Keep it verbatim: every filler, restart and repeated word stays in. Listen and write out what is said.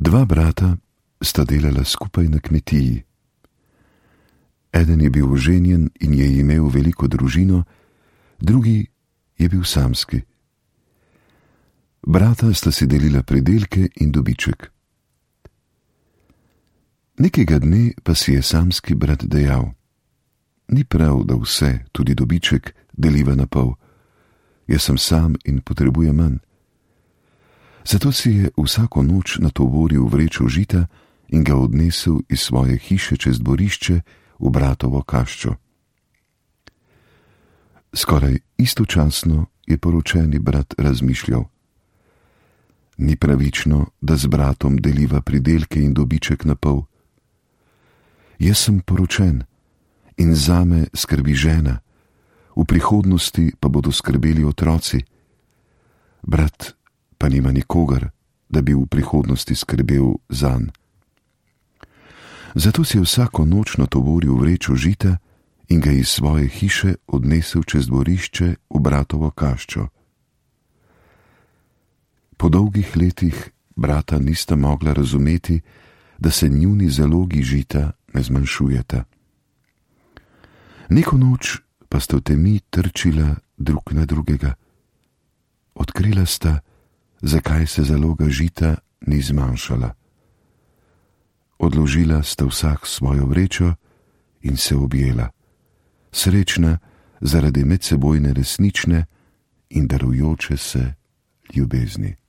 Dva brata sta delala skupaj na kmetiji. Eden je bil oženjen in je imel veliko družino, drugi je bil samski. Brata sta si delila pridelke in dobiček. Nekega dne pa si je samski brat dejal: ni prav, da vse, tudi dobiček, deliva na pol. Jaz sem sam in potrebujem manj. Zato si je vsako noč natovoril vrečo žita in ga odnesel iz svoje hiše čez dvorišče v bratovo kaščo. Skoraj istočasno je poročeni brat razmišljal: ni pravično, da z bratom deliva pridelke in dobiček na pol. Jaz sem poročen in zame skrbi žena, v prihodnosti pa bodo skrbeli otroci. Brat pa nima nikogar, da bi v prihodnosti skrbel zanj. Zato si je vsako noč natovoril vrečo žita in ga iz svoje hiše odnesel čez dvorišče v bratovo kaščo. Po dolgih letih brata nista mogla razumeti, da se njuni zalogi žita ne zmanjšujeta. Neko noč pa sta v temi trčila drug na drugega. Odkrila sta, zakaj se zaloga žita ni zmanjšala. Odložila sta vsak svojo vrečo in se objela, srečna zaradi medsebojne resnične in darujoče se ljubezni.